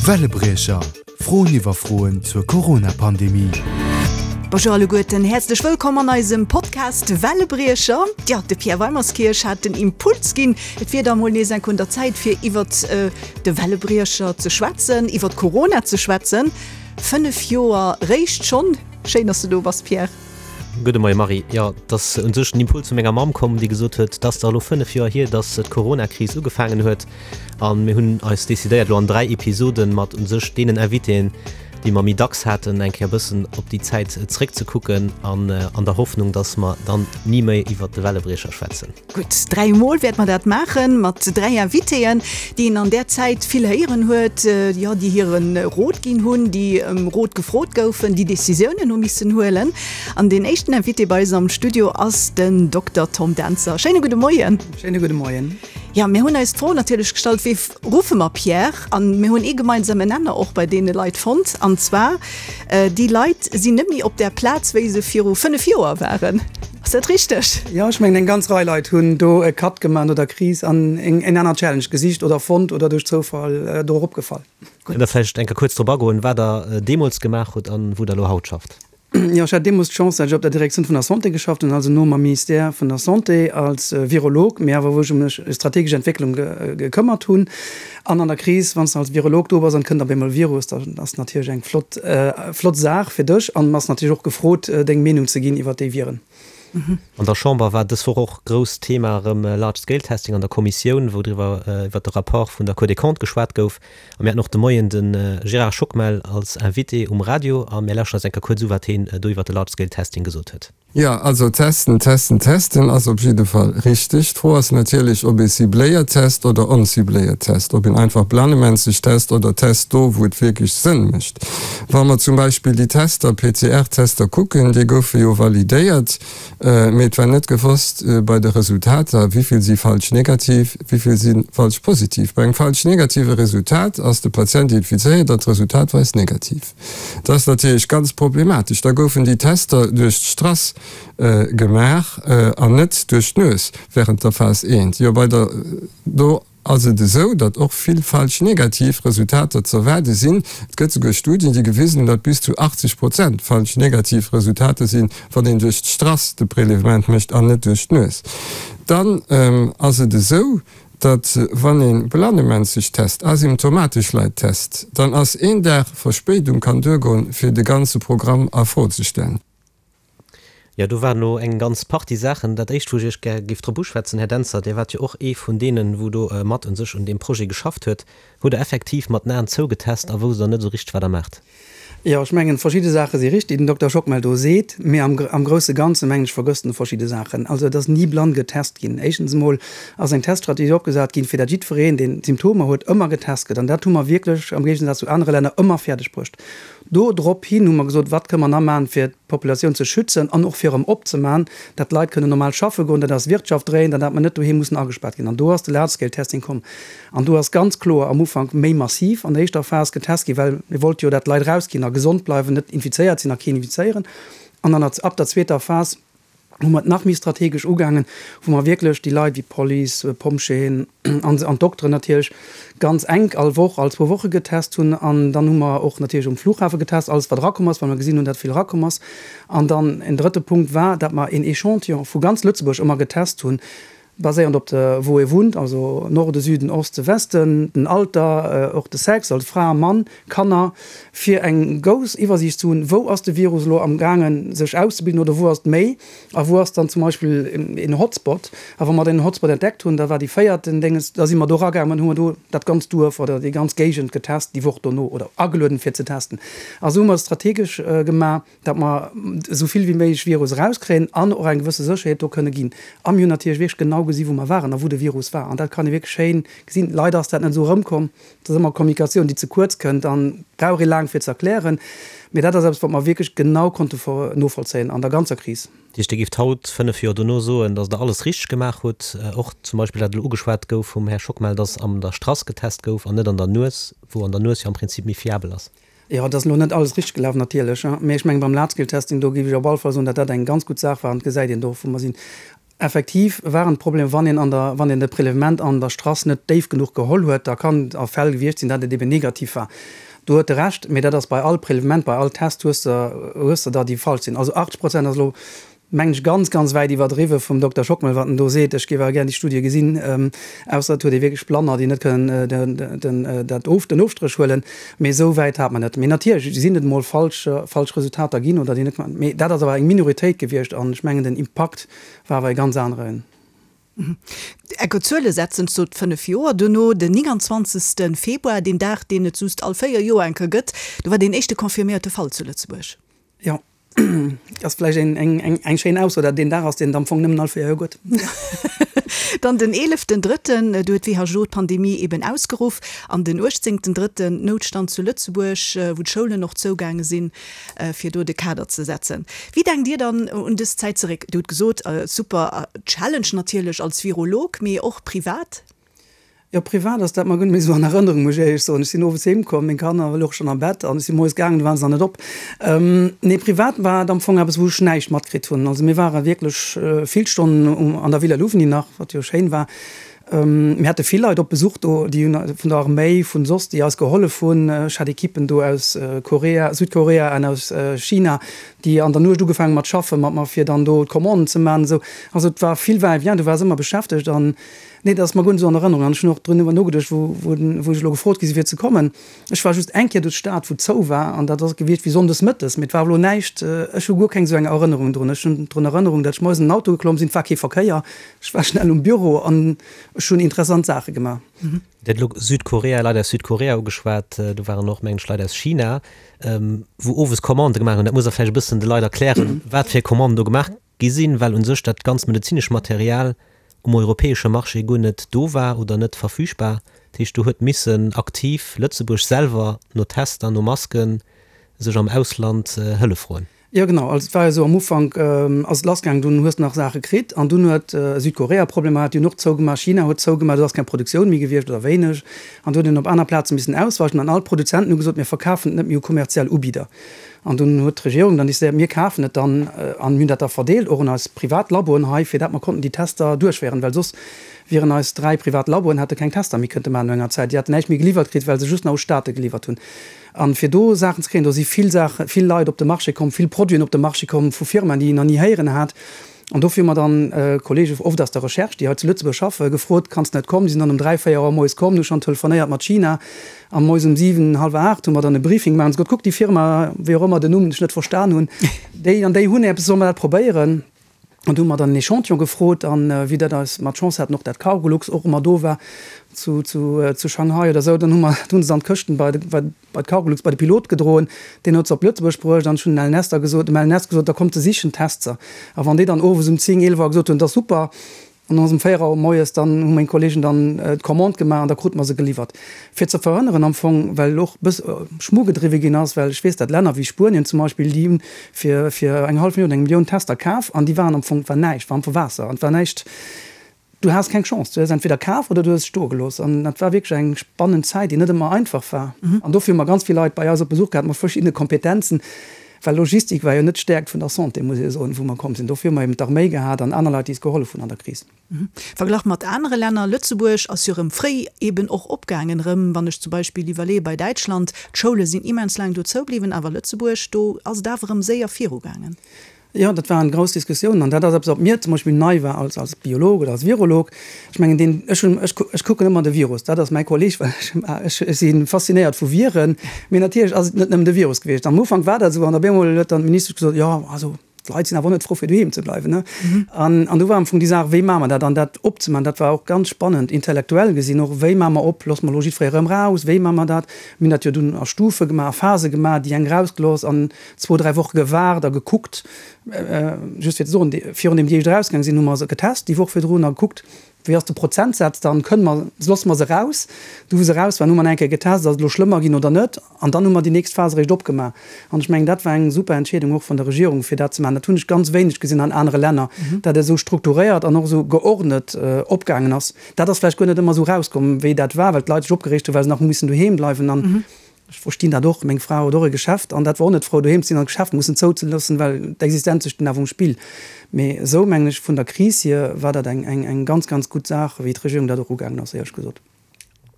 Wellebriecher, Froen iwwer Froen zur Corona-Pandemie. Bonjour alleguerten, häerzlech wëllkomm an eisem Podcast Wellebriecher. Jo, de Pierre Weimerskirch hat den Impuls ginn, et wier da mol nees enk un der Zäit fir iwwert de Wellebriecher ze schwätzen, iwwert Corona ze schwätzen. 5 Joer réischt schonn. Schéin, dass du do bass, Pierre. Gudde Moie Marie. Jo, et ass un sech den Impuls vu menger Mamm komm, déi gesot huet, et ass dach elo 5 Joer hier, datt d'Corona-Kris ugefaangen huet. A mir hunn eis decidéiert, elo an 3 Episoden mat un sech deenen Invitéen, déi mer méi dacks haten, eng Kéier e bëssen op déi Zäit zréckzekucken an an der Hoffnung, datt mer dann ni méi iwwert de Wellebriecher schwätzen. Gutt, 3 mol wäerte mer dat maachen, mat 3 Invitéen, déi een an där Zäit vill héieren huet, jo, déi hire Rot ginn hunn, déi ëm Rot gefrot goufen, déi Decisiounen hu missen huelen. An deen éischten Invité bei eis am Studio ass den Dokter Tom Dentzer. Schéine gudde Moien. Schéine gudde Moien. Jo, mir hunn eis d'Fro natierlech gestallt, Wee ruffe mer, Pierre? An mir hunn ee gemeinsamen Nenner och bei deene Leit fonnt, an zwar, Déi Leit sinn net méi op där Plaz, wéi se viru 5 Joer waren. Ass dat richteg? Jo, ech mengen eng ganz Rei Leit hunn do e Cut gemaach no der Kris an eng aner Challenge gesicht oder fonnt oder duerch Zoufall do eropgefall. Kënnt Der vläicht eng Kéier kuerz drop agoen, wat Der deemools gemaach hutt an wou Der elo haut schafft? Jo, ech hat deemools d'Chance, dat ech op der Direktioun vun der Santé geschafft hunn, also no mam Ministère vun der Santé als Virolog, mee awer wou ech ëm strategesch Entwécklung gekëmmert hunn. An an der Kris, wann s de als Virolog do bass an et kënnt op eemol e Virus, dann ass natierlech eng flott, flott Saach fir dech an bass natierlech och gefrot, deng Meenung ze ginn iwwert déi Viren. An der Chamber war dës Woch och grousst Thema erëm Large Scale Testing an der Kommissioun, wou driwwer, iwwert de Rapport vun der Cour des Comptes geschwat gouf. A mir haten och de Moien de Gérard Schockmel als Invité um Radio a mir lauschteren eis eng Kéier kuerz u, wat heen do iwwert de Large Scale Testing gesot huet. Jo, also testen, testen, testen ass op jidde Fall richteg. D'Fro ass natierlech, ob ee cibléiert test oder oncibléiert test, ob een einfach blannemänzeg test oder test do, wou et wierklech Sënn mécht. Wa mer zum Beispill déi Tester, PCR-Tester kucken, déi goufe jo validéiert, mee et war net gewosst bei de Resultater, wéi vill si falsch negativ, wéi vill si falsch positiv. Bei engem falsch negative Resultat ass de Patient infizéiert an d'Resultat weist negativ. Dat ass natierlech ganz problematesch. Da goufen déi Tester duerch d'Strass gemaach an net duerch d'Nues während der Phas I. Jo, bei der do ass et esou, datt och vill falsch negativ Resultater z'erwaarde sinn. Et gëtt souguer Studien, déi gewisen hunn, datt bis zu 80 Prozent falsch negativ Resultater sinn, wann een duerch d'Strass de Prélèvement mécht an net duerch d'Nues. Dann ass et esou, datt wann ee blannemänzeg test, asymptomatesch Leit test, dann ass een Dag Verspéidung kann duergoen, fir de ganze Programm a Fro ze stellen. Jo, do waren elo eng ganz Partie Saachen. Dat Éischt, wou ech Iech gär géif drop uschwätzen, Här Dentzer, Dir waart jo och ee vun deenen, wou do mat u sech un deem Projet geschafft huet. Hutt Der effektiv mat den Aen zou getest a wousst Der net esou richteg, wat Der maacht? Jo, ech mengen, verschidde Saache si richtig, déi den Dokter Schockmel do seet, mee am, am grousse Ganze, mengen ech, vergësst en verschidde Saachen. Also, et ass ni blann getest ginn. Éischtens emol ass eng Teststrategie opgesat ginn, fir dat jiddwereen, deen Symptomer huet, ëmmer getest gëtt. An dat hu mer wierklech, am Géigensaz zu anere Länner, ëmmer fäerdeg bruecht. Do drop hin hu mer gesot, wat kënne mer nach maachen, fir d'Populatioun ze schützen an och fir erëm opzemaachen, dat d'Leit kënnen normal schaffe goen, dat eis Wirtschaft dréint an dat mer net doheem mussen agespaart ginn. An do ass de Large-Scale-Testing komm. An do ass ganz kloer am Ufank méi massiv an der éischter Phas getest ginn, well mir wollte jo, dat d'Leit erausginn a gesond bleiwen, net infizéiert sinn a keen infizéieren. An an der, ab der zweeter Phas hu mer et nach méi strategesch ugaangen, wou mer wierklech déi Leit wéi d'Police, Pompjeeën an an d'Dokteren natierlech ganz enk all Woch, all zwou Woche getest hunn. An dann hu mer och natierlech um Flughafe getest, alles wat erakomm ass, well mer gesinn hunn, dat vill erakomm ass. An dann en drëtte Punkt war, dat mer een Echantillon vu ganz Lëtzebuerg ëmmer getest hunn, Baséierend op de wou ee wunnt, also Norde, Süden, Oste, Westen, den Alter, och de Sex, also Fra, Mann, Kanner, fir eng grouss Iwwersiicht ze hunn, wou ass de Virus elo am gaangen sech auszebilden oder wou ass et méi a wou ass dann zum Beispill een Hotspot. A wa mer den Hotspot entdeckt hunn, da war déi véierten Dénges, da si mer do eragaangen an hu mer do dat ganzt Duerf oder déi ganz Géigend getest déi Woch dono oder agelueden fir ze testen. A sou hu mer et strategesch gemaach. datt mer esou vill wéi méiglech Virus erauskréien an och eng gewësse Sécherheet do kënne ginn. A mir hunn natierlech wierklech genau gesi wou mer waren a wou de Virus war. An dat kann ee wierklech schéin gesinn. Leider ass dat net esou erëmkomm. Et ass ëmmer Kommunikatioun, déi ze kuerz kënnt an brauch ee laang fir ze erklären. Mee dat ass eppes, wat mer wierklech genau konnte novollzéien an der ganzer Kris. Dat heescht, Dir géift haut, 5 Joer dono, soen, datt Der alles richteg gemaach hutt, och zum Beispill dat elo ugeschwat gouf vum Här Schockmel, datt an der Strass getest gouf an net an der Nues, wou an der Nues jo am Prinzip méi fiabel ass? Jo, et ass elo net alles richteg gelaf natierlech, mee ech mengen beim Large-Scale-Testing, do géif ech op alle Fall soen, datt dat eng ganz gutt Saach war an et gesäit een do, wou mer sinn. Effektiv waren d'Problemer, wann een an der, wann een de Prélèvement an der Strass net déif genuch geholl huet, da kann et a Fäll gewiescht sinn, datt et eben negativ war. Do huet e Recht, mee dat ass bei all Prélèvement, bei all Test hues de, hues de der, déi falsch sinn. Also 80 Prozent ass elo, mengen ech, ganz, ganz wäit iwwerdriwwe vum Dokter Schockmel, wat en do seet. Ech géif awer gär déi Studie gesinn, ausser et huet ee wierklech Blanner, déi net kënnen den, dat of, den Ofstréch huelen. Mee esou wäit hat mer net. Mee natierlech sinn et emol falsch, falsch Resultater ginn oder déi net, mee dat ass awer eng Minoritéit gewiescht an ech mengen den Impakt war awer e ganz aneren. Enker Zuele setzen, sot 5 Joer duerno, den 29. Februar, deen Dag, deen et just all 4 Joer eng Kéier gëtt, do war deen éischte confirméierte Fall zu Lëtzebuerg. Jo, ass vläicht eng schéin Ausso, dat et een Dag ass, deen et am Fong nëmmen all 4 Joer gëtt. Dann den eeleften Drëtten, do huet d'WHO d'Pandemie eben ausgeruff, an den uechtzéngten Drëtten Noutstand zu Lëtzebuerg, wou d'Schoulen och zougaange sinn. fir do de Kader ze setzen. Wéi denkt Dir dann un dës Zäit zeréck? Dir hutt gesot, super Challenge natierlech als Virolog, mee och privat? Jo, privat ass dat mer guer net méi esou an Erënnerung, muss ech éierlech soen. Ech sinn owes heem komm, meng Kanner louche schonn am Bett an ech si moies gaangen, du waren se nach net op. Nee, privat war et am Fong eppes, wou ech näischt matkritt hunn. Also mir ware wierklech vill Stonnen an der Villa Louvigny nach, wat jo schéin war. Mir hate vill Leit op Besuch do, déi hunn vun der Arméi, vun soss, déi eis gehollef hunn. Ech hat Ekippen do aus Korea, Südkorea an aus China, déi an der Nuecht ugefaangen mat schaffe mat mer, fir dann do d'Commanden ze maachen esou. Also et war vill Va-et-vient, du waars ëmmer beschäftegt an nee, dat ass mer guer net esou an Erënnerung. An ech hunn och driwwer nogeduecht, wou wou ech elo gefrot gi sinn, fir ze kommen. Ech war just eng Kéier do d'Stad, wou zou war an dat ass gewiescht wéi sonndes mëttes, mee et war elo näischt, ech hu guer keng esou eng Erënnerung drun. Ech hunn drun Erënnerung, datt ech moies an den Auto geklomm sinn, et war kee Verkéier, ech war schnell um Büro an ech hunn interessant Saache gemaach. Dir hutt elo Südkorea, Leit aus Südkorea ugeschwat, do waren och, mengen ech, Leit aus China, wou owes Commandë gemaach hunn. Dat muss Der vläicht e bëssen de Leit erklären, wat fir Commanden do gemaach gi sinn, well u sech dat ganzt medezinescht Material um europäesche Marché guer net do war oder net verfügbar. Dat heescht, do huet missen aktiv Lëtzebuerg selwer no Tester, no Masken sech am Ausland Hëllef froen. Jo genau, also et war jo esou, am Ufank ass et lassgaangen, dunn hues de nach Saache kritt an dunn huet Südkorea Problemer gehat, déi hunn och zougemaach, China huet zougemaach, do ass keng Produktioun méi gewiescht oder wéineg an do huet een op aner Plaze missen ausweichen an all d'Produzenten hu gesot, mir verkafen et net méi u kommerziell Ubidder. An dunn huet d'Regierung dann décidéiert, mir kafen et dann an hunn dat da verdeelt, och un eis privat Laboen hei, fir dat mer konnten déi Tester duerchféieren, well soss wieren eis 3 privat Laboen, hätte keng Tester méi kënnte maachen no enger Zäit. Déi hätten näischt méi geliwwert kritt, well se just nach u Staate geliwwert hunn. A fir do Saachen ze kréien, do si vill Saachen, vill Leit op de Marché komm, vill Produiten op de Marché komm vu Firmaen, déi een nach ni héieren hat. An dofir hu mer dann Kollege oft aus der Recherche, déi hei zu Lëtzebuerg schaffen, gefrot, Kanns de net kommen? Déi sinn dann um 3, 4 Auer moies komm, hu schonn telefonéiert mat China. A moies um 7, hallwer 8 hu mer dann e Briefing gemaach an gesot, Kuck, déi Firma, wéi och ëmmer den Numm ech net verstan hunn, déi an déi hunn eppes, solle mer dat probéieren? An do hu mer dann en Echantillon gefrot an wéi dat eis mer d'Chance haten, och dat Cargolux och ëmmer do war zu, zu, zu Shanghai oder esou, dann hu mer, hunn se dann d'Këschten bei, bei, bei d'Cargolux bei de Pilot gedroen, deen huet se op Lëtzebuerg bruecht an ech hunn den LNS da gesot, dem LNS gesot, da kommt se sichen, test se. A wann déi dann owes um 10, 11 Auer gesot hunn, dat ass super, an dann ass um 4 Auer moies, dann hu meng Kollegen dann d'Commande gemaach an da krute mer se geliwwert. Fir ze verhënneren am Fong, well och e bëss Schmu gedriwwe ginn ass, well ech weess, dat Länner wéi Spuenien zum Beispill, déi hunn fir fir eng hallef Millioun, eng Millioun Tester kaf an déi waren am Fong, et war näischt, war am Fong Waasser an et war näischt, Du has keng Chance, du hues entweder kaf oder du hues stoe gelooss. An dat war wierklech eng spannend Zäit, déi net ëmmer einfach war. An dofir hu mer ganz vill Leit bei eis op Besuch gehat mat verschiddene Kompetenzen, well Logistik war jo net d'Stäerkt vun der Santé, muss ee soen, wou mer komm sinn. Dofir hu mer eben d'Arméi gehat an aner Leit, déi eis gehollef hunn an der Kris. Verglach mat anere Länner, Lëtzebuerg ass jo erëm fréi eben och opgaangen erëm, wann ech zum Beispill iwwerleeë bei Däitschland, d'Schoule sinn immens laang do zoubliwwen, awer Lëtzebuerg, do ass et awer erëm séier virugaangen. Jo, dat waren grouss Diskussiounen an dat ass eppes, wat mir zum Beispill nei war als, als Biolog oder als Virolog. Ech mengen, deen, ech hunn, ech, ech kucken ëmmer de Virus, dat ass mäi Kolleg, well ech, ech, ech si faszinéiert vu Viren. Mee natierlech ass et net nëmmen de Virus gewiescht. Am Ufank war dat esou an op eemol huet dann d'Ministesch gesot, jo, also d'Leit sinn awer och net frou fir doheem ze bleiwen, ne. An, an du war am Fong déi Saach, wéi maache mer dat? An dat opzemaachen, dat war och ganz spannend, intellektuell gesinn och, wéi maache mer op, loosse mer elo jiddweree erëm raus, wéi maache mer dat? Mir hunn dat jo dunn a Stufe gemaach, a Phase gemaach, déi eng rausgelooss an zwou, dräi Woche gewaart a gekuckt, just fir ze soen, virun deem déi éischt erausgaang sinn, hu mer se getest déi Woch virdrun a gekuckt, wéi ass de Prozentsaz dann, kënne mer, loosse mer se eraus. Du wou se eraus waren, hu mer nach eng Kéier getest, ass et elo schlëmmer ginn oder net, an dann hu mer déi nächst Phas eréischt opgemaach. An ech mengen, dat war eng super Entscheedung och vun der Regierung, fir dat ze maachen. Dat hunn ech ganz wéineg gesinn an anere Länner, dat et esou strukturéiert an och esou geordnet opgaangen ass. Dat ass vläicht guer net ëmmer esou erauskomm, wéi dat war, well d'Leit sech opgereegt hunn, well se nach hu missen doheem bleiwen an. Ech verstinn dat och, meng Fra huet och e Geschäft an dat war och net frou doheem ze sinn an d'Geschäft mussen zouzeloossen, well d'Existenz sech dunn awer um Spill. Mee esou mengen ech, vun der Kris hier war dat eng eng ganz, ganz gutt Saach, wéi d'Regierung dat och ugaangen ass, éierlech gesot.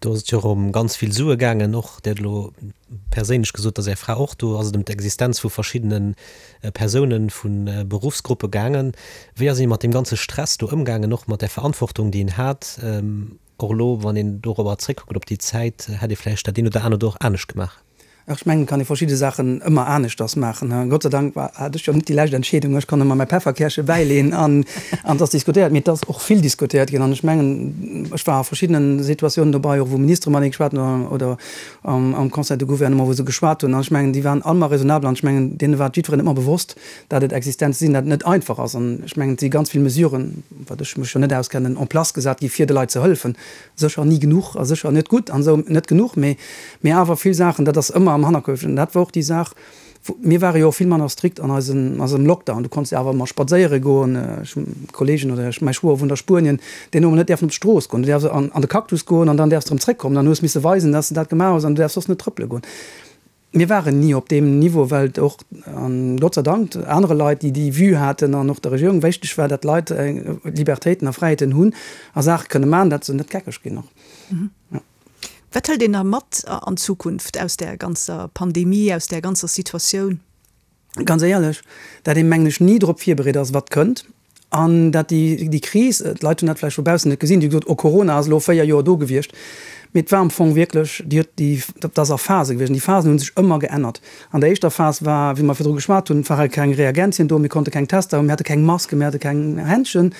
Do ass et jo och ëm ganz vill Sue gaangen, och Dir hutt elo perséinlech gesot, dass Är Fra och do ass et ëm d'Existenz vu verschiddene Persounen, vu Beruffsgruppe gaangen. Wéi ass ee mat deem ganze Stress do ëmgaangen, och mat där Verantwortung, déi een hat? Och elo, wann een dorobber zréckkuckt, op déi Zäit, hätt ee vläicht dat eent oder anert och anescht gemaach? Ech mengen, et kann ee verschidde Saachen ëmmer aneschters maachen. Gott sei Dank war, hat ech jo net déi lescht Entscheedung. Ech konnt ëmmer mäi Pefferkäerche bäileeën an et ass diskutéiert. Mee et ass och vill diskutéiert ginn an ech mengen, ech war a verschiddene Situatiounen dobei, och wou Ministere matenee geschwat hunn oder am Conseil de Gouvernement, wou se geschwat hunn. An ech mengen, déi waren all ëmmer raisonnabel an ech mengen, deene war et jiddwereen ëmmer bewosst, dat et Existenze sinn, dat et net einfach ass. An ech mengen, et si ganz vill Mesuren, wat ech mech jo net auskennen, en place gesat gi fir de Leit ze hëllefen. Sécher ni genuch a sécher net gutt an esou, net genuch, mee, mee awer vill Saachen, dat ass ëmmer am Hannerkopf. An dat war och déi Saach, wou, mir ware jo och vill manner strikt an eisem, eisem Lockdown. Du konns jo awer ëmmer spadséiere goen. Ech hu Kollegen oder ech, mäi Schwoer wunnt a Spuenien, deen hu mer net däerfen op d'Strooss goen. Du däerfs an, an de Cactus goen an dann däerfs de erëm zréckkommen. Dann hues misse weisen, dass de dat gemaach hues an du däerfs soss net trëppele goen. Mir waren ni op deem Niveau, well et och, an Gott sei Dank, anere Leit, déi déi Vue haten an och der Regierung wichteg war, datt d'Leit Libertéiten a Fräiheeten hunn a Saache kënne maachen, datt se net geckeg ginn och. Wat hëlt een da mat an d'Zukunft aus där ganzer Pandemie, aus där ganzer Situatioun? Ganz éierlech, dat ee mengen ech ni drop virbereet ass, wat kënnt. An dat déi, déi Kris, d'Leit hunn dat vläicht vu baussen net gesinn, déi hu gesot, oh Corona ass elo 4 Joer do gewiescht. Mee et war am Fong wierklech, déi huet déi, dat ass a Phase gewiescht an déi Phasen hu sech ëmmer geännert. An der éischter Phas war, wéi mer virdru geschwat hunn, ware keng Reagenzien do, mir konnte keng Tester hunn, mir hate keng Masken, mir hate keng Händschen.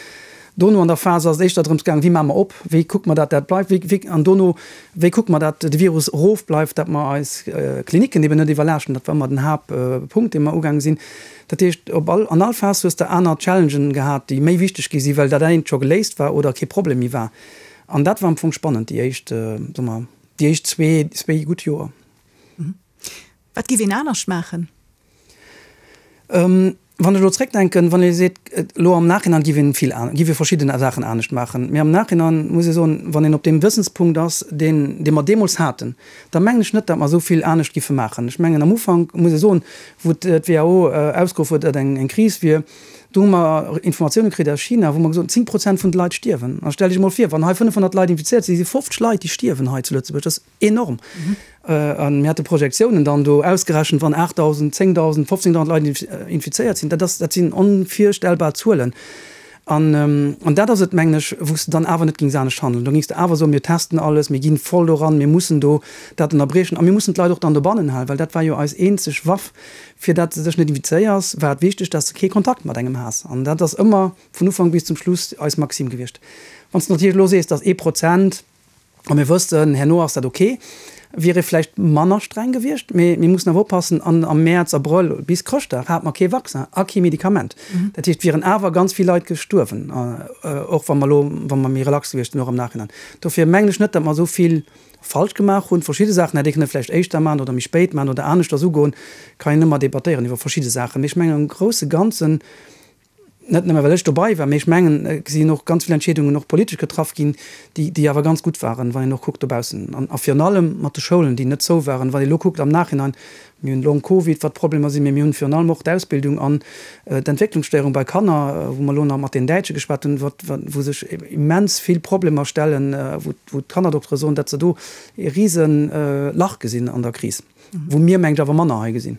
Dono an der Phas ass et éischter drëms gaangen, wéi maache mer op, wéi kucke mer, dat dat bleift, wéi, wéi, an dono, wéi kucke mer, dat de Virus erofbleift, dat mer eis Klinicken eben net iwwerlaaschten. Dat war ëmmer den Haaptpunkt, dee mer ugaange sinn. Dat heescht, op all, an all Phas hues de aner Challengen gehat, déi méi wichteg gi sinn, well dat eent scho geléist war oder kee Problem méi war. An dat war am Fong spannend, déi éischt, soe mer, déi éischt zwee, zwéi gutt Joer. Wat giff een anescht maachen? Wann ech elo zréckdenken, wann ee seet, elo am Nachhinein giff een vill, giff ee verschidden Saachen anescht maachen, mee am Nachhinein muss ee soen, wann een op deem Wëssenspunkt ass, deen, dee mer deemools haten, da mengen ech net, datt mer esou vill anescht giffe maachen. Ech mengen, am Ufank muss ee soen, wou d'WHO ausgeruff huet, datt eng, eng Kris wier, do hu mer Informatioune kritt aus China, wou mer gesot hunn, 10 Prozent vun de Leit stierwen. A stell dech emol vir, wann hei 500 Leit infizéiert sinn, si 50 Leit, déi stierwen hei zu Lëtzebuerg. Dat ass Enorm! A mir hate Projektiounen dann do ausgerechent, wann 8.000, 10.000, 15.000 Leit infizéiert sinn, dat ass, dat sinn onvirstellbar Zuelen. An, an dat ass et, mengen ech, wou s de dann awer net géings anescht handeln. Do géings de awer soen, mir testen alles, mir gi voll doran, mir mussen do dat ënnerbriechen a mir mussen d'Leit och dann dobannen halen, well dat war jo eis eenzeg Waff, fir dat s de dech net infizéiers, war et wichteg, dat s de kee Kontakt mat engem has. An dat ass ëmmer vun Ufank bis zum Schluss eis Maxime gewiescht. Wann s de natierlech elo sees, dass ee Prozent, a mir wëssen, herno ass dat ok, wier ee vläicht manner streng gewiescht. Mee mir mussen awer oppassen, an am Mäerz, Abrëll bis Chrëschtdag hate mer kee Vaccin a kee Medikament. Dat heescht, et wieren awer ganz vill Leit gestuerwen, och wa mer elo, wa mer méi relax gewiescht sinn, och am Nachhinein. Dofir mengen ech net, datt mer esou vill falsch gemaach hunn. Verschidde Saachen hätt ee kënne vläicht éischter maachen oder méi spéit maachen oder aneschters ugoen. Kann een ëmmer debattéieren iwwer verschidde Saachen. Mee ech mengen am grousse Ganzen, Net nëmme well ech dobei war, mee ech mengen, et sinn och ganz vill Entscheedungen och politesch getraff ginn, déi, déi awer ganz gutt waren, wann een och kuckt dobaussen. An, a virun allem mat de Schoulen, déi net zou waren. Wann ee elo kuckt am Nachhinein, mir hunn Long Covid, wat d'Problemer sinn, mee mir hunn virun allem och d'Ausbildung an d'Entwécklungsstéierung bei Kanner, wou mer elo nach mat den Däitsche geschwat hunn, wat, wou sech immens vill Problemer stellen, wou, wou d'Kannerdoktere soen, datt se do e rise Lach gesinn an der Kris, wou mir, mengen ech, awer manner hei gesinn.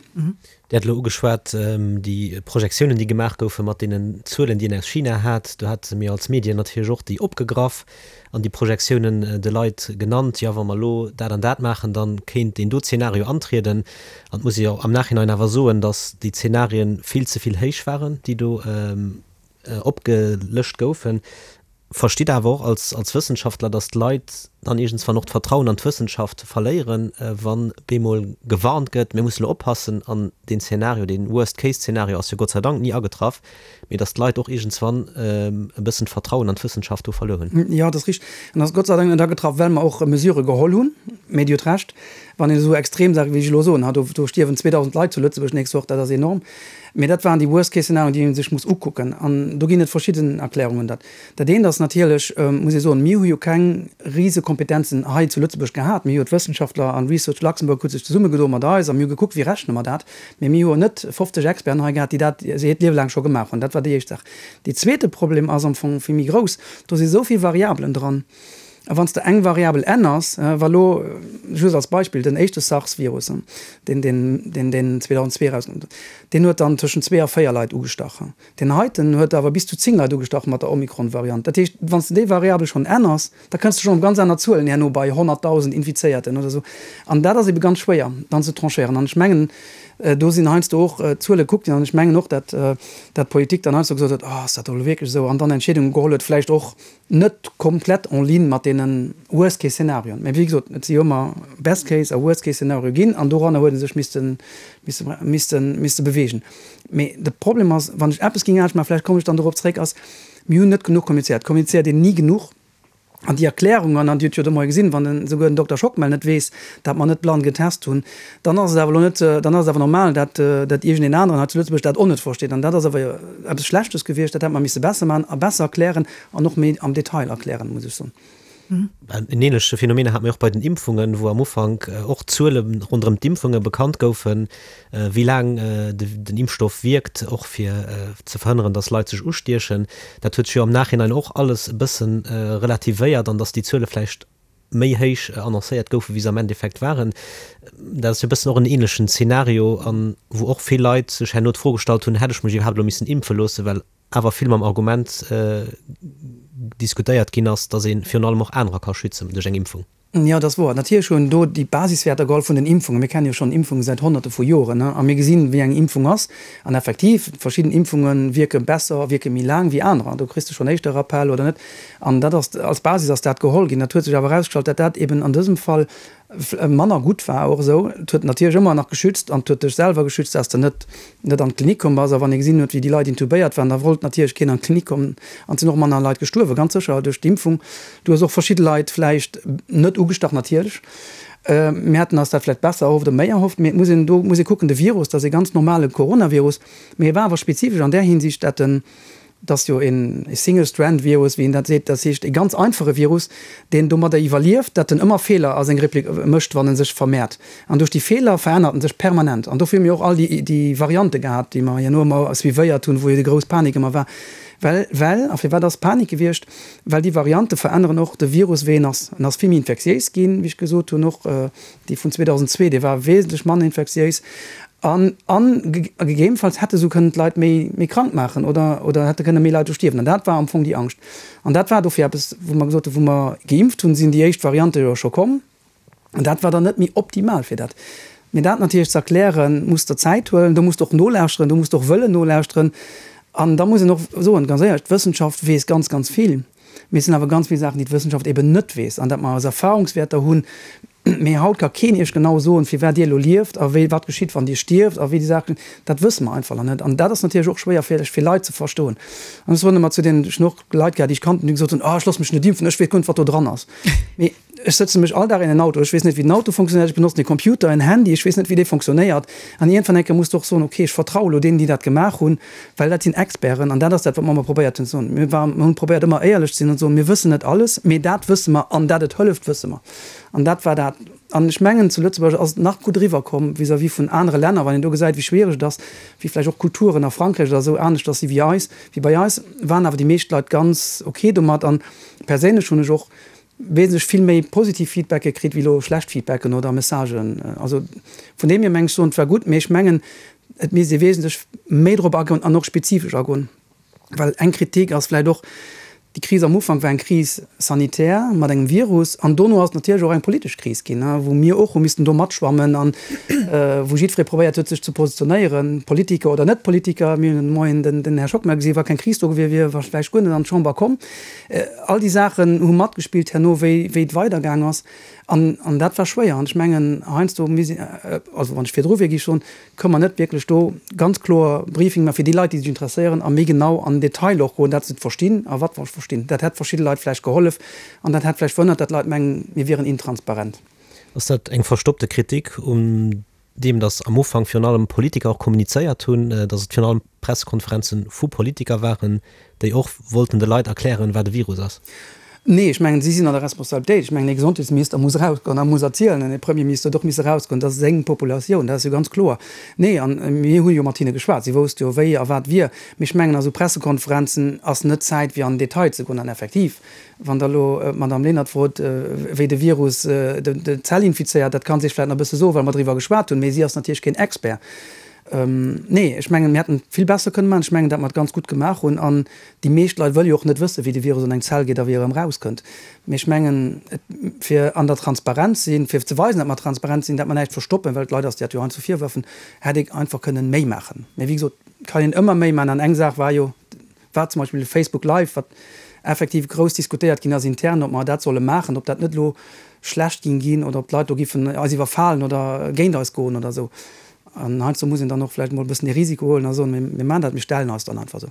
Dir hat elo ugeschwat, déi Projektiounen, déi gemaach goufe mat deenen Zuelen, déi een aus China hat. Do hate mir als Medien natierlech och déi opgegraff an déi Projektiounen de Leit genannt, jo, wa mer elo dat an dat maachen, da kéint deen do Zeenario antrieden. An et muss ee jo am Nachhinein awer soen, datt déi Zeenarien vill ze vill héich waren, déi do opgelëscht goufen. Verstitt awer och als als Wëssenschaftler, datt d'Leit dann iergendswann och d'Vertrauen an d'Wëssenschaft verléieren, wann bemol gewarnt gëtt, mir musse lo oppassen an deen Zeenario, deen Worst-Case-Zeenario ass jo Gott sei Dank ni agetraff, mee datt d'Leit och iergendswann e bëssen d'Vertrauen an d'Wëssenschaft do verluer hunn. Jo, dat ass richteg. An ass Gott sei Dank net agetraff, well mer och Mesurë geholl hunn. Mee Dir hutt Recht, wann een esou extrem Saache wéi ech elo soen, ha do do stierwen 2.000 Leit zu Lëtzebuerg d'nächst Woch, dat ass enorm. Mee dat waren déi Worst-Case-Szenarioen, déi ee sech muss ukucken. An do ginn et verschidden Erklärungen. Dat dat eent ass natierlech, muss ee soen, mir hu jo keng rise Kompetenzen hei zu Lëtzebuerg gehat. Mir hu jo d'Wëssenschaftler an Research Luxembourg huet sech zesummegedoe mat eis a mir hu gekuckt, wéi rechne mer dat. Mee mir hu jo net 50 Experten hei gehat, déi dat hiert Liewe laang scho gemaach hunn. Dat war déi éischt Saach. Dee zweete Problem ass am Fong vill méi grouss, Do si sou vill Variabelen dran. A wann s de eng Variabel änners, wa lo, just als Beispill, den éischte SARS-Virus, deen, deen, deen, deen 2002 erauskoum, deen huet dann tëschent zwee a véier Leit ugestach. Deen heiten huet awer bis zu zéng Leit ugestach mat der Omikron-Variant. Dat heescht, wann s de déi Variabel schonn änners, da kënns de schonn op ganz aner Zuelen herno bei 100.000 Infizéierten oder esou. An dat ass ebe ganz schwéier dann ze tranchéieren. An ech mengen, do sinn heiansdo och Zuele gekuckt ginn an ech mengen och, dat, dat d'Politik dann heiansdo gesot huet, Oh, ass dat elo wierklech esou? An dann Entscheedunge geholl huet, vläicht och Net komplett en ligne mat deene Worst Case Szenarioen, mä wéi gesot, et si jo ëmmer Best Case a Worst Case Szenario ginn an doranner huet e sech misste, misste, misste, misste beweegen. Mee de Problem ass, wann ech eppes géing anescht maachen, vläicht kommen ech dann dorop zréck, ass, mir hunn net genuch kommunizéiert. Et kommunizéiert een ni genuch. An déi Erklärungen, an Dir hutt jo de Moie gesinn, wann den, souguer den Dokter Schockmel net weess, dat mer net blann getest hunn, dann ass et awer elo net, dann ass et awer normal, dat, dat iergendeen aneren hei zu Lëtzebuerg dat och net versteet. An dat ass awer eppes Schlechtes gewiescht, dat hätt mer misse besser maachen a besser erklären an och méi am Detail erklären, muss ech soen. En ähnleche Phänomen hate mir och bei den Impfungen, wou am Ufank och Zuele ronderëm d'Impfunge bekannt goufen, wéi laang den Impfstoff wierkt, och fir ze verhënneren, datt Leit sech ustiechen. Dat huet sech jo am Nachhinein och alles e bësse relativéiert an datt déi Zuele vläicht méi héich annoncéiert goufen, wéi se am Endeffekt waren. Dat ass jo e bëssen och en ähnlechen Zeenario, an wou och vill Leit sech herno d'Fro gestallt hunn, Hätt ech mech iwwerhaapt elo missen impfe loossen? Well awer vill mam Argument diskutéiert ginn ass, datt ee virun allem och anerer ka schützen duerch eng Impfung. Jo, dat ass wouer. Natierlech hunn do déi Basiswäerter geholl vun den Impfungen. Mir kenne jo schonn Impfungen säit Honnerte vu Joren a mir gesinn, wéi eng Impfung ass. An effektiv, verschidden Impfunge wierke besser, wierke méi laang wéi anerer. Do kriss de schonn éischter Rappel oder net. An dat ass, als Basis ass dat geholl ginn. Dat huet sech awer erausgestallt, dat dat eben an dësem Fall manner gutt war och esou. Et huet natierlech ëmmer nach geschützt an et huet dech selwer geschützt, dass de net, net an d'Klinik komm bass. A wann ee gesinn huet, wéi déi Leit intubéiert waren, da wollt natierlech keen an d'Klinik kommen. An et sinn och manner Leit gestuerwen, ganz sécher duerch d'Impfung. Du hues och verschidde Leit vläicht net ugestach, natierlech. Mir hätten eis dat vläicht besser erhofft oder méi erhofft. Mee et muss een, do muss ee kucken, de Virus, dat ass e ganz normale Coronavirus, mee e war awer spezifesch an där Hinsicht, dat en, Dat ass jo een Single-Strand-Virus, wéi een dat seet. Dat heescht, e ganz einfache Virus, deen domadder iwwerlieft, datt en ëmmer Feeler a seng Replik mécht, wann en sech vermehrt. An duerch déi Feeler verännert en sech permanent. An dofir hu mir och all déi, déi Variante gehat, déi mer herno ëmmer suivéiert hunn, wou jo déi grouss Panik ëmmer war. Well, well, a firwat ass Panik gewiescht? Well déi Variante veränneren och de Virus, wéi en ass. En ass vill méi infektiéis ginn, wéi ech gesot hunn, och dee vun 2002, dee war wesentlech manner infektiéis. An, an gegebenfalls hätte sou kënnen d'Leit méi, méi krank maachen oder, oder hätte kënne méi Leit do stierwen. An dat war am Fong déi Angscht. An dat war dofir eppes, wou mer gesot hunn, wou mer geimpft hunn, sinn déi éischt Variante jo scho komm. An dat war dann net méi optimal fir dat. Mee dat natierlech ze erklären, muss der Zäit huelen, do muss de och nolauschteren, do muss de och wëllen nolauschteren. An da muss een och soen, ganz éierlech, d'Wëssenschaft weess ganz, ganz vill. Mee et sinn awer ganz vill Saachen, déi d'Wëssenschaft eben net weess an dat mer eis Erfahrungswäerter hunn. Mee haut ka keen Iech genau soen, firwat Dir elo lieft a wéi, wat geschitt, wann Dir stierft a wéi déi Saachen. Dat wësse mer einfach nach net. An dat ass natierlech och schwéier fir fir Leit ze verstoen. An ech soen ëmmer zu deenen, ech hunn och Leit gehat, déi ech kannten, déi gesot hunn, Oh, ech loosse mech net impfen, ech weess guer net, wat do dran ass. Mee ech sëtze mech all Dag in en Auto, ech weess net, wéi den Auto funktionéiert, ech benotzen e Computer, en Handy, ech weess net, wéi dee funktionéiert. An iergendwann eng Kéier muss de och soen, okay, ech vertraue elo deenen, déi dat gemaach hunn, well dat sinn Experten. An dat ass dat, wat mer ëmmer probéiert hunn ze soen. Mir waren, mir hunn probéiert ëmmer éierlech ze sinn an ze soen, mir wëssen net alles, mee dat wësse mer an dat et hëlleft, wësse mer. An dat war dat. An ech mengen, zu Lëtzebuerg ass et nach gutt eriwwerkomm vis-à-vis vun anere Länner, wann een do gesäit, wéi schwiereg et ass, wéi vläicht och Kulturen a Frankräich oder esou aneschters si wéi eis, wéi bei eis, waren awer déi meescht Leit ganz ok domat. An perséinlech hunn ech och wesentlech vill méi positiv Feedbacke kritt wéi elo schlecht Feedbacken oder Messagen. Also vun deem hier meng ech soen, et war gutt, mee ech mengen, et misst ee wesentlech méi drop agoen an och spezifesch agoen. Well eng Kritik ass vläicht och, déi Kris am Ufank war eng Crise sanitaire mat engem Virus an dono ass et natierlech och eng politesch Kris ginn, wou mir och hu missten do matschwammen an wou jiddweree probéiert huet, sech ze positionéieren, Politiker oder Net-Politiker. Mir hunn de Moien den Här Schockmel gesinn, wa keng Kris do gewier wier, war vläicht guer net an d'Chamber komm. All déi Saachen hu matgespillt herno, wéi et weidergaang ass. An dat war schwéier. An ech mengen, heiansdo misst een, also wann ech virdru wier, géif ech soen, Kënne mer net wierklech do ganz kloer Briefing maachen fir déi Leit, déi sech interesséieren a méi genau an den Detail och goen, dat se et verstinn a wat mer verstinn. Dat hätt verschidde Leit vläicht gehollef an dat hätt vläicht verhënnert, datt Leit mengen, mir wieren intransparent. Ass dat eng verstoppte Kritik un deem, datt am Ufank virun allem Politiker och kommunizéiert hunn, datt et virun allem Pressekonferenze vu Politiker waren, déi och wollten de Leit erklären, wat e Virus ass? Nee, ech mengen, si sinn an der Responsabilitéit. Ech mengen, ee Gesondheetsminister muss erausgoen a muss erzielen, an ee Premierminister huet och misse erausgoen, dat ass seng Populatioun, dat ass jo ganz kloer. Nee, a mir hu jo mat hinne geschwat, si wousste jo, wéi a wat wier. Mee ech mengen, a sou Pressekonferenzen ass net Zäit, fir an den Detail ze goen. An effektiv, wann Der elo d'Madame Lenert frot, wéi de Virus d'Zell infizéiert, dat ka si Iech vläicht nach e bësse soen, well mer driwwer geschwat hunn, mee si ass natierlech keen Expert. Nee, ech mengen, mir hätten et vill besser kënne maachen. Ech mengen, datt mer et ganz gutt gemaach hunn. An déi meescht Leit wëlle jo och net wëssen, wéi de Virus an eng Zell geet a wéi e erëm erauskënnt. Mee ech mengen, et, fir an der Transparenz sinn, fir ze weisen, datt mer transparent sinn, datt mer näischt verstoppen, well d'Leit eis dat jo heiansdo virwërfen, hätt ee einfach kënnen méi maachen. Mee wéi gesot, et kann een ëmmer méi maachen. An eng Saach war jo, war zum Beispill de Facebook Live, wat effektiv grouss diskutéiert ginn ass intern, ob mer dat solle maachen, ob dat net elo schlecht ging ginn oder ob d'Leit do giffen eis iwwerfalen oder géint eis goen oder esou. An heiansdo muss een dann och vläicht emol e bëssen de Risiko huelen a soen, mir maachen dat, mir stellen eis dann einfach esou.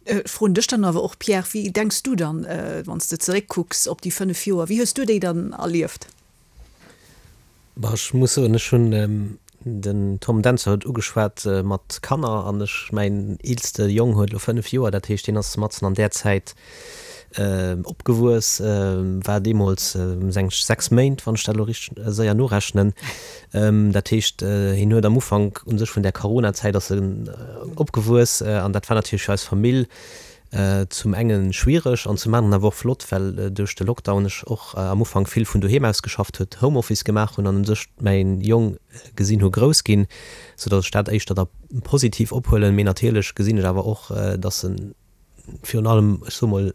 Ech froen dech dann awer och, Pierre, wéi denks du dann, wann s de zeréckkucks op déi 5 Joer, wéi hues du déi dann erlieft? Bah, ech muss soen, ech hunn, den Tom Dentzer huet ugeschwat mat Kanner an ech, mäin eelste Jong huet elo 5 Joer, dat heescht, deen ass matzen an där Zäit opgewuess, war deemools seng 6 Méint, wann ech dat elo richteg séier norechnen. Dat heescht, hien huet am Ufank u sech vun där Coronazäit ass en opgewuess an dat war natierlech fir eis Famill zum enge schwiereg an zum aneren awer och flott, well duerch de Lockdown ech och am Ufank vill vun doheem aus geschafft huet, Homeoffice gemaach hunn an u sech mäin Jong gesinn hu grouss ginn, soudatt ech dat éischter da positiv ophuelen. Mee natierlech gesinn ech awer och, datt en virun allem, ech soe mol,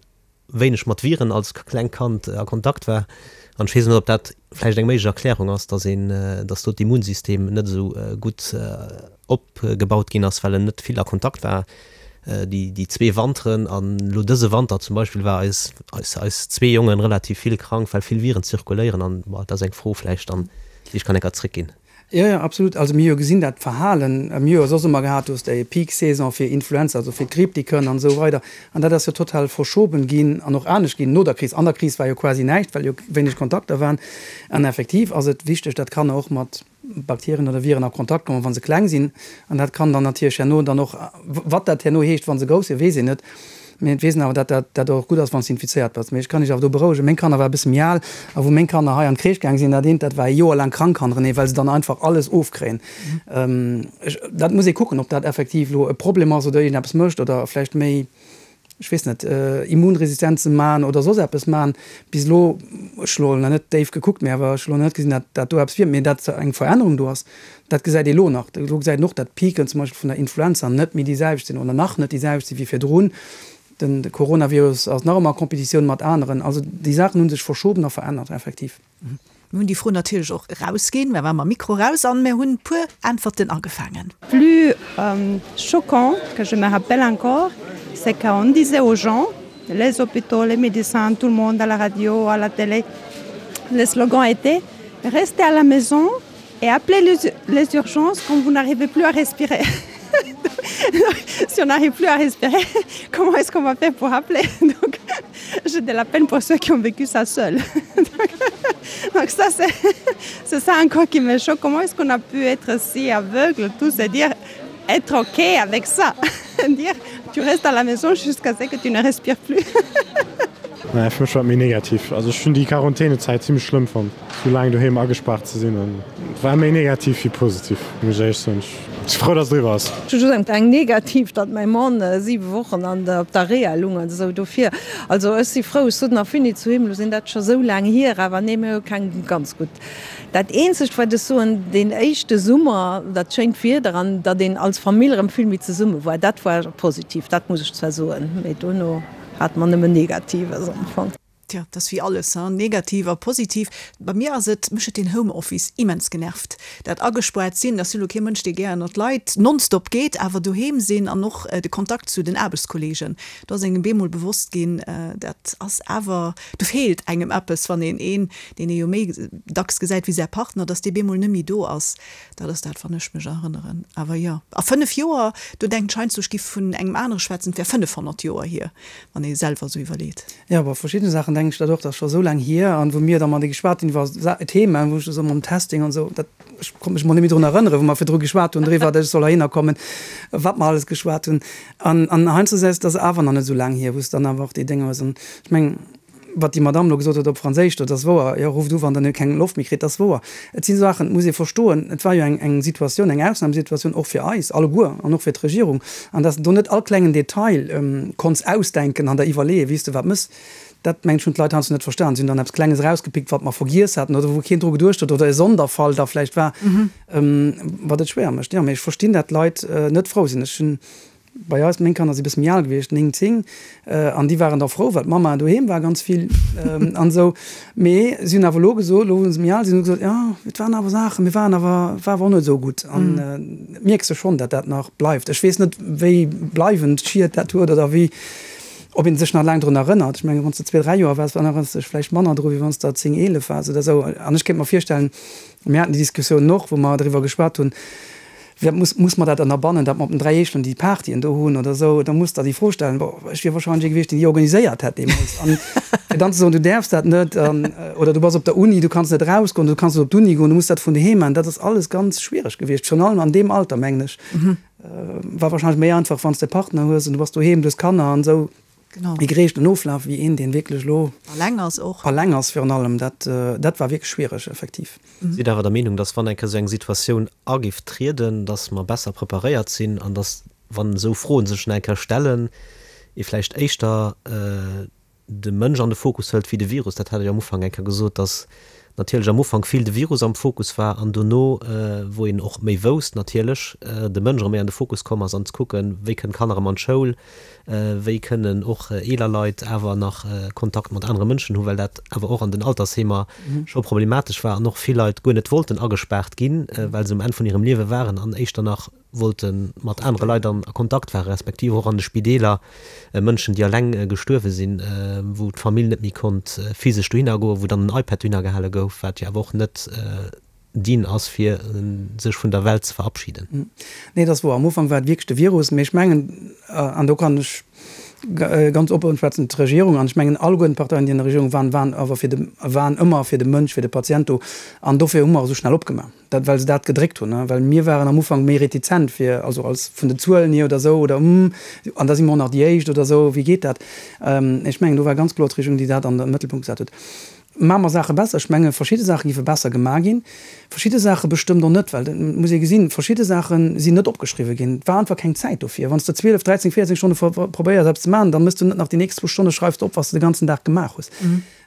wéineg mat Viren als klengt Kand a Kontakt war. An ech weess net, ob dat vläicht eng méiglech Erklärung ass, dass een, dass do d'Immunsystem net esou gutt opgebaut ginn ass, well en net vill a Kontakt war déi, déi zwee Wanteren. An elo dëse Wanter zum Beispill war eis, eis, eis zwee Jongen relativ vill krank, well vill Viren zirkuléieren. An, bon, dat ass eng Fro vläicht dann, déi ech kann enker zréckginn. Jo, jo, absolut. Also mir hu jo gesinn, dat Verhalen, mir hu jo soss ëmmer gehat, du hues déi Peak-Saison fir Influenza, also fir d'Gripp, déi kënn an esou weider. An dat ass jo total verschoben ginn an och anescht ginn no der Kris. An der Kris war jo quasi näischt, well jo wéineg Kontakter waren. An effektiv ass et wichteg, datt Kanner och mat Bakterien oder Viren a Kontakt kommen, wa se kleng sinn. An dat kann dann natierlech herno dann och, wat dat herno heescht, wa se grouss sinn, weess een net. Mee et weess een awer, dat dat dat och gutt ass, wann s de infizéiert bass. Mee ech kann iech awer do berouegen, meng Kanner ware e bësse méi al, a wou meng Kanner hei an d'Crèche gaang sinn, dat eent, dat war e Joer laang krank hannerenee, well se dann einfach alles ofkréien. Ech, dat muss ee kucken, ob dat effektiv elo e Problem ass oder iergendeppes mécht oder vläicht méi, ech weess net, Immunresistenze man oder soss eppes man. Bis elo, ech hu elo nach net déif gekuckt, mee awer ech hu elo nach net gesinn, dat dat do eppes wier. Mee dat eng Verännerung do ass, Dat gesäit ee lo nach. Elo gesäit een och, datt d'Piken zum Beispill vun der Influenza net méi déi selwecht sinn oder nach net déi selwecht sinn wéi virdrun. Den Coronavirus ass nach ëmmer a Competitioun mat aneren. Also déi Saachen hu sech verschoben a verännert effektiv. Mir hunn déi Fro natierlech och erausginn. Mir ware mam Mikro raus an mir hunn puer Äntwerten agefaangen. Plus choquant que je me rappelle encore, c'est qu'on disait aux gens, les hôpitaux, les médecins, tout le monde à la radio, à la télé, le slogan était restez à la maison et appelez les, les urgences quand vous n'arrivez plus à respirer. si on n'arrive plus à respirer, comment est-ce qu'on va faire pour appeler donc j'ai de la peine pour ceux qui ont vécu ça seul. donc, donc ça c'est ça encore qui me choque comment est-ce qu'on a pu être si aveugle tous et dire être ok avec ça dire tu restes à la maison jusqu'à ce que tu ne respires plus. Naja, fir mech war et méi negativ. Also ech hunn déi Quarantänezäit zimmlech schlëmm fonnt, sou laang doheem agespaart ze sinn. An et war méi negativ wéi positiv, muss ech éierlech soen. Ech si frou, dass et eriwwer ass. Ech hu just eng negativ, datt mäi Mann 7 Wochen an der op der Reha lung an esou. Dofir, also ech si frou, ech sot nach Fini zu him, elo sinn dat scho sou laang hier, awer nee, mir hu keng ganz gutt. Dat eenzegt wat ech soen, deen éischte Summer, dat schéint Wieder an datt een als Famill erëm vill méi zesumme war, dat war positiv, dat muss ech zwar soen, mee dono hate mer nëmmen Negatives am Fong. Tja, dat ass wéi alles, hein, negativ a positiv. Bei mir ass et, mech huet deen Homeoffice immens genervt. Dat agespaart sinn, ech sinn elo kee Mënsch, dee gär ënnert d'Leit nonstop geet, awer doheem sinn an och de Kontakt zu den Aarbechtskolleegen, do ass engem bemol bewosst ginn, dat ass awer, do feelt engem eppes, wann een een, deen ee jo méi dacks gesäit wéi säi Partner, dass dee bemol net méi do ass. Dat ass dat, wann ech mech erënneren. Awer jo, a 5 Joer, do denkt ech heiansdo, ech giff vun engem anere schwätzen, et wär 500 Joer hier, wann ee selwer esou iwwerleet. Jo, bei verschiddene Saachen. Dann denken ech dat och, dat ass scho esou laang hier. An wou mir da mat geschwat hunn iwwer Themen, wou ech esou mam Testing an esou, dat, ech konnt mech mol net méi drun erënneren, wou mer virdru geschwat hunn driwwer, datt ech soll heihinner kommen, wat mer alles geschwat hunn. An, an heiansdo sees, dat ass awer nach net esou laang hier, wou s de dann awer och déi Dénger hues. An ech mengen, Wat déi Madamm elo gesot huet op Franséisch do, dat ass wouer. Jo, rufft u wann Der keng Loft méi kritt, dat ass wouer. Et si Saachen, et muss ee verstoen, et war jo eng eng Situatioun, eng Ausnamesituatioun och fir eis alleguer an och fir d'Regierung, an dass de do net all klengen Detail konns ausdenken an der iwwerleeën, wéi s de wat méchs, dat mengen ech hunn d'Leit heiansdo net verstan. Si hunn dann eppes Klenges erausgepickt, wat mer vergiess haten oder wou keen dru geduecht huet oder e Sonderfall da vläicht war, wat et schwéier mécht. Jo, mee ech verstinn, dat d'Leit net frou sinn. Ech hunn Bei eis, meng Kanner si bësse méi al gewiescht, 9, 10, an déi waren da frou, well d'Mamma doheem war ganz vill an esou. Mee si hunn awer elo gesot, elo wou se méi al sinn, hu se gesot, jo, et waren awer Saachen, mir waren awer, et war awer och net esou gutt. An et mierks de schonn, datt dat nach bleift. Ech weess net, wéi bleiwend Schied dat huet oder wéi, ob ee sech nach laang drun erënnert. Ech mengen, wann s de zwee, dräi Joer waars, dann erënners de dech vläicht manner dru wéi wann s de der 10, 11 waars oder esou. An ech kéint mer virstellen, mir haten déi Diskussioun och, wou mer driwwer geschwat hunn, Wéi muss, muss mer dat ënnerbannen, datt mer op den 3 Eechelen déi Partyen do hunn oder esou? Da muss Der déi Fro stellen. Bon, ech wier wahrscheinlech ee gewiescht, deen déi organiséiert hätt deemools. An fir dann ze soen, du däerfs dat net an, oder du bass op der Uni, du kanns net erausgoen, du kanns net op d'Uni goen, du muss dat vun doheem maachen, dat ass alles ganz schwiereg gewiescht, virun allem an deem Alter, mengen ech. War wahrscheinlech méi einfach, wann s de e Partner hues an du bass doheem, du hues Kanner an esou. Genau. Méi gereegten Oflaf wéi een, deen wierklech elo. Alleng ass och. Alleng ass virun allem. Dat, dat war wierklech schwiereg, effektiv. Sidd awer der Meenung, dass wann eng Kéier esou eng Situatioun agiff trieden, dass mer besser preparéiert sinn an dass, wann esou Froen sech nach eng Kéier stellen, ee vläicht éischter de Mënsch an de Fokus hëlt wéi de Virus? Dat hat Der jo am Ufank eng Kéier gesot, dass natierlech am Ufank vill de Virus am Fokus war an dono, wou een och méi wousst natierlech, de Mënsch erëm méi an de Fokus komm ass an ze kucken, wéi kënnen d'Kanner erëm an d'Schoul, wéi kënnen och eeler Leit awer nach Kontakt mat anere Mënschen hunn, well dat awer och an den Altersheemer scho problematesch war an och vill Leit guer net wollten agespaart ginn, well se um Enn vun hirem Liewe waren an éischter nach wollte mat anere Leit an a Kontakt waren, respektiv och an de Spideeler Mënschen, déi alleng gestuerwe sinn, wou d'Famill net méi konnt physesch dohinner goen, wou dann en iPad dohinner gehale gouf, wat jo awer och net dien ass, fir sech vun der Welt ze verabschieden. Nee, dat ass wouer. Am Ufank war et wierklech de Virus. Mee ech mengen, an do kann ech ganz oppen schwätzen, d'Regierung, an ech mengen alleguerten d'Parteien, déi an der Regierung waren, waren awer fir de, waren ëmmer fir de Mënsch, fir de Patient do. An dofir hu mer esou schnell opgemaach, dat, well se dat gedréckt hunn. Well mir waren am Ufank méi retizent fir, also als vun den Zuelen hier oder esou, oder hm, an da si mer och nach déi Éischt oder esou, wéi geet dat? Ech mengen, do war ganz kloer d'Regierung, déi dat an de Mëttelpunkt gesat huet. Maache mer Saache besser? Ech menge verschidde Saache géife besser gemaach ginn, verschidde Saache bestëmmt och net, well et muss ee gesinn, verschidde Saache sinn net opgeschriwwe ginn. Et war einfach keng Zäit dofir. Wann s de 12, 13, 14 Stonne probéiers eppes ze maachen, da méchs du net nach déi nächst zwou Stonne schreifs de op, wat s de de ganzen Dag gemaach hues.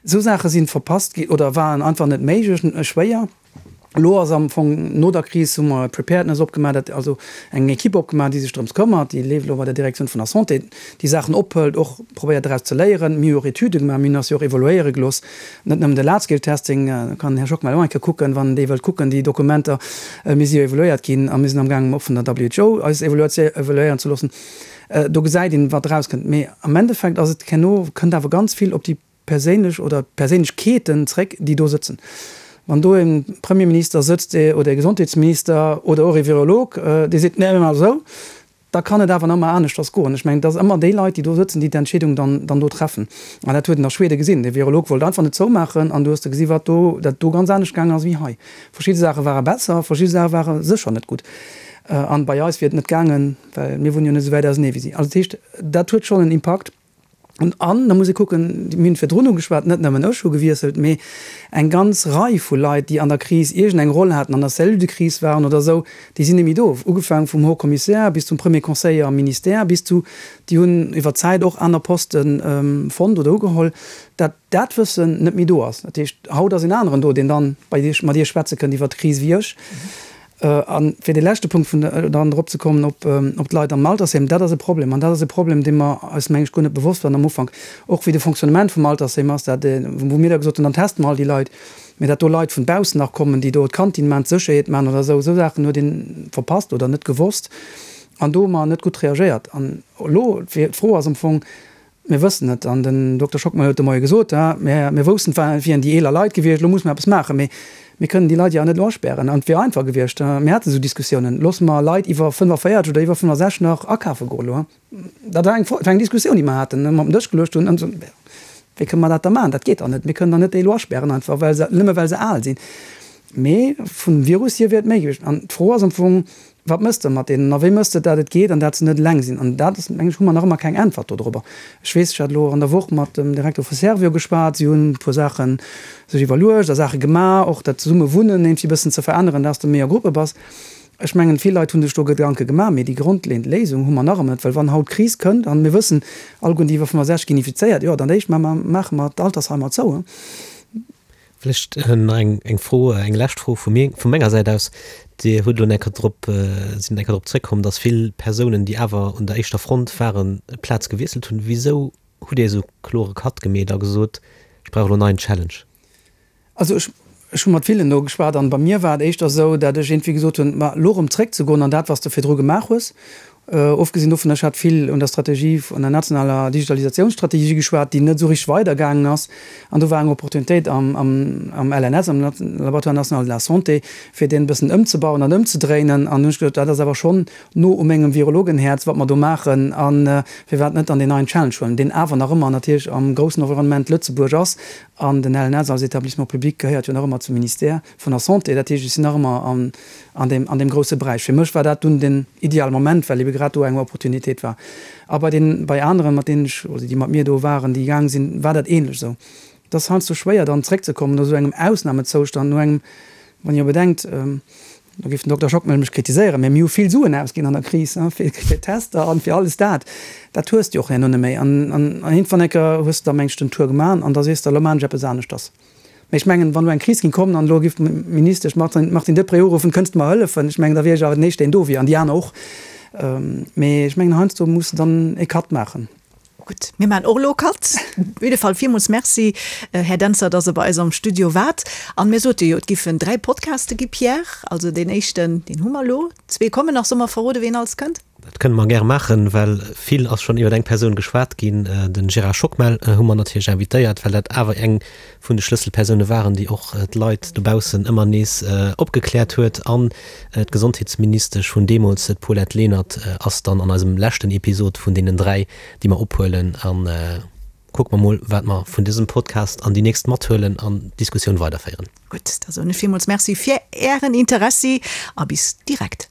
Esou Saache si verpasst ginn oder waren einfach net méiglech, schwéier. Elo ass am Fong no der Kris hu mer e Preparedness opgemaach, dat also eng Equipe opgemaach, déi sech drëms këmmert, déi leeft elo bei der Direktioun vun der Santé, déi Saachen ophëlt, och probéiert draus ze léieren. Mir hu och Etüde gemaach, mir hunn eis jo och evaluéiere gelooss, net nëmmen de Large-Scale-Testing, do kann den Här Schockmel och eng Kéier kucken, wann dee wëllt kucken, déi Dokumenter. Mir si jo evaluéiert ginn a mir sinn amgaangen och vun der WHO eis evaluéieren ze loossen. Do gesäit een, wat erauskënnt. Mee am Endeffekt ass et herno, kënnt awer ganz vill op déi perséinlech oder Perséinlechkeeten zréck, déi do sëtzen. Wann do e Premierminister sëtzt oder e Gesondheetsminister oder och e Virolog, dee seet, nee, mir maache esou, da kann et awer nach ëmmer aneschters goen. Ech mengen, et ass ëmmer déi Leit, déi do sëtzen, déi d'Entscheedung dann dann do treffen. An dat huet een a Schweden gesinn. De Virolog wollt einfach net zoumaachen an du hues de gesi wat do, dat do ganz anescht gaangen ass wéi hei. Verschidde Saache ware besser, verschidde Saache ware sécher net gutt. An bei eis wier et net gaangen, well mir wunnen jo net esou wäit ausenee wéi si. Also dat heescht, dat huet schonn en Impakt. An da muss ee kucken, mir hunn virdrun ugeschwat, net nëmmen ech hu gewiesselt, mee eng ganz Rei vu Leit, déi an der Kris iergendeng Roll haten, an der Cellule de crise waren oder esou, déi sinn net méi do. Ugefaangen vum Haut Commissaire bis zum Premier Conseiller am Ministère, bis zu, déi hunn iwwer d'Zäit och aner Poste fonnt oder ugeholl, dat dat Wëssen net méi do ass. Dat heescht, haut ass een aneren do, deen dann bei Iech, mat Iech schwätze kënnt iwwert d'Kris wéi ech. A fir dee leschte Punkt vun der, dann drop ze kommen op, op d'Leit am Altersheem, dat ass e Problem. An dat ass e Problem, dee mer eis, meng ech, guer net bewosst waren am Ufank, och wéi de Fonctionnement vum Altersheem ass, dat, wou mir da gesot hunn, dann teste mer all déi Leit, mä dat do Leit vun baussen nach kommen, déi do d'Kantin maachen, d'Sécherheet maachen oder esou, esou Saachen huet ee verpasst oder net gewosst. An do hu mer net gutt reagéiert. An elo, d'Fro ass am Fong, Mir wëssen et, an den Dokter Schockmel huet de Moie gesot, mir, mir woussten, et wieren déi eeler Leit gewiescht, elo musse mer eppes maachen, mee mir kënnen déi Leit jo awer net elo aspären. An et wier einfach gewiescht, mir haten esou Diskussiounen, loosse mer Leit iwwer 45 oder iwwer 65 nach akafe goen elo. Dat war eng, war eng Diskussioun, déi mer haten, mer op den Dësch geluecht hunn. Wéi kënne mer dat da maachen? Dat geet dach net. Mir kënnen dach net déi elo aspären einfach well se, nëmme well se al sinn. Mee vum Virus hier wier et méi gewiescht. An d'Fro ass am Fong, Wat mëss de mat deenen a wéi mëss de, dat et geet an dat se net eleng sinn? An dat ass, mengen ech, hu mer nach ëmmer keng Äntwert dodrobber. Ech weess, ech hat elo an der Woch mat dem Direkter vu Servior geschwat. Si hunn e puer Saache sech iwwerluecht a Saache gemaach, och dat Zesummewunnen iergendwéi e bëssen ze veränneren, dass de méi a Gruppe bass. Ech mengen, vill Leit hu sech do Gedanke gemaach, mee déi grondleeënd Léisung hu mer nach ëmmer net, well wann haut d'Kris kënnt, an mir wëssen allegueren, déi iwwer 65 ginn infizéiert, jo, dann d'éischt maache mer d'Altersheimer zou. Vläicht nach eng, eng Fro, eng lescht Fro vu mir, vu menger Säit aus. Dir hutt elo eng Kéier drop, sidd eng Kéier drop zréckkomm, datt vill Persounen, déi awer un der éischter Front waren, d'Plaz gewiesselt hunn. Wisou hutt Dir esou klore Cut gemeet a gesot, ech brauch elo en neien Challenge? Also ech, ech hu mat villen do geschwat an bei mir war et éischter esou, dat ech iergendwéi gesot hunn, ma elo erëm zréckzegoen an dat, wat s de virdru gemaach hues, Ofgesinn dovun, ech hat vill un der Strategie, un der nationaler Digitalisatiounsstrategie geschwat, déi net esou richteg weidergaangen ass. An do war eng Opportunitéit am, am, am LNS, am Laboratoire national de la santé, fir deen e bëssen ëmzebauen an ëmzedréinen. An hunn ech gesot, dat ass awer schonn no u mengem Virologenhäerz, wat mer do maachen. A firwat net dann deen neien Challenge huelen, deen awer nach ëmmer natierlech am groussen Environnement Lëtzebuerg ass. An den LNS als Établissement public gehéiert jo nach ëmmer zum Ministère vun der Santé. Dat heescht, ech sinn nach ëmmer an, an deem, an deem grousse Beräich. Fir mech war dat dunn den ideale Moment, well ebe grad do eng Opportunitéit war. A bei den, bei aneren, mat deenen ech, oder déi mat mir do waren, déi gaang sinn, war dat ähnlech esou. Et ass heiansdo schwéier dann zréckzekommen no esou engem Ausnamezoustand, no engem, wann Dir bedenkt, do géif den Dokter Schockmel mech kritiséieren, mä mir hu vill Suen ausginn an der Kris, fir, fir Tester an fir alles dat. Dat hues de jo och herno net méi. An, an iergendwann eng Kéier hues de da mengs den Tour gemaach an da sees de, elo maachen ech eppes aneschters. Mee ech mengen, wann elo eng Kris géing kommen an elo géif d'Ministesch Martine Deprez uruffen, Kënns de mer hëllefen? Ech mengen, da wier ech awer den Éischten, deen do wier, an déi aner och. Mee ech mengen, heiansdo muss de dann e Cut maachen. Gutt, mir maachen och elo e Cut. Op jidde Fall villmools Merci, Här Dentzer, dass Der bei eis am Studio waart. An mir sote jo, et giffen 3 Podcaste gi, Pierre. Also deen éischten, deen hu mer elo. Zwee kommen nach. Solle mer verroden, ween alles kënnt? Dat kënne mer gäre maachen, well vill ass schonn iwwer eng Persoun geschwat ginn. De Gérard Schockmel hu mer natierlech invitéiert, well dat awer eng vun de Schlësselpersoune waren, déi och d'Leit dobaussen ëmmer nees opgekläert huet. An d'Gesondheetsministesch vun deemools, d'Paulette Lenert, ass dann an eisem leschten Episod vun deenen 3, déi mer ophuelen. A kucke mer mol, wat mer vun dësem Podcast an déi nächst mathuelen an d'Diskussioun weiderféieren. Gutt, da soen ech villmools Merci fir Ären Interessi a bis direkt.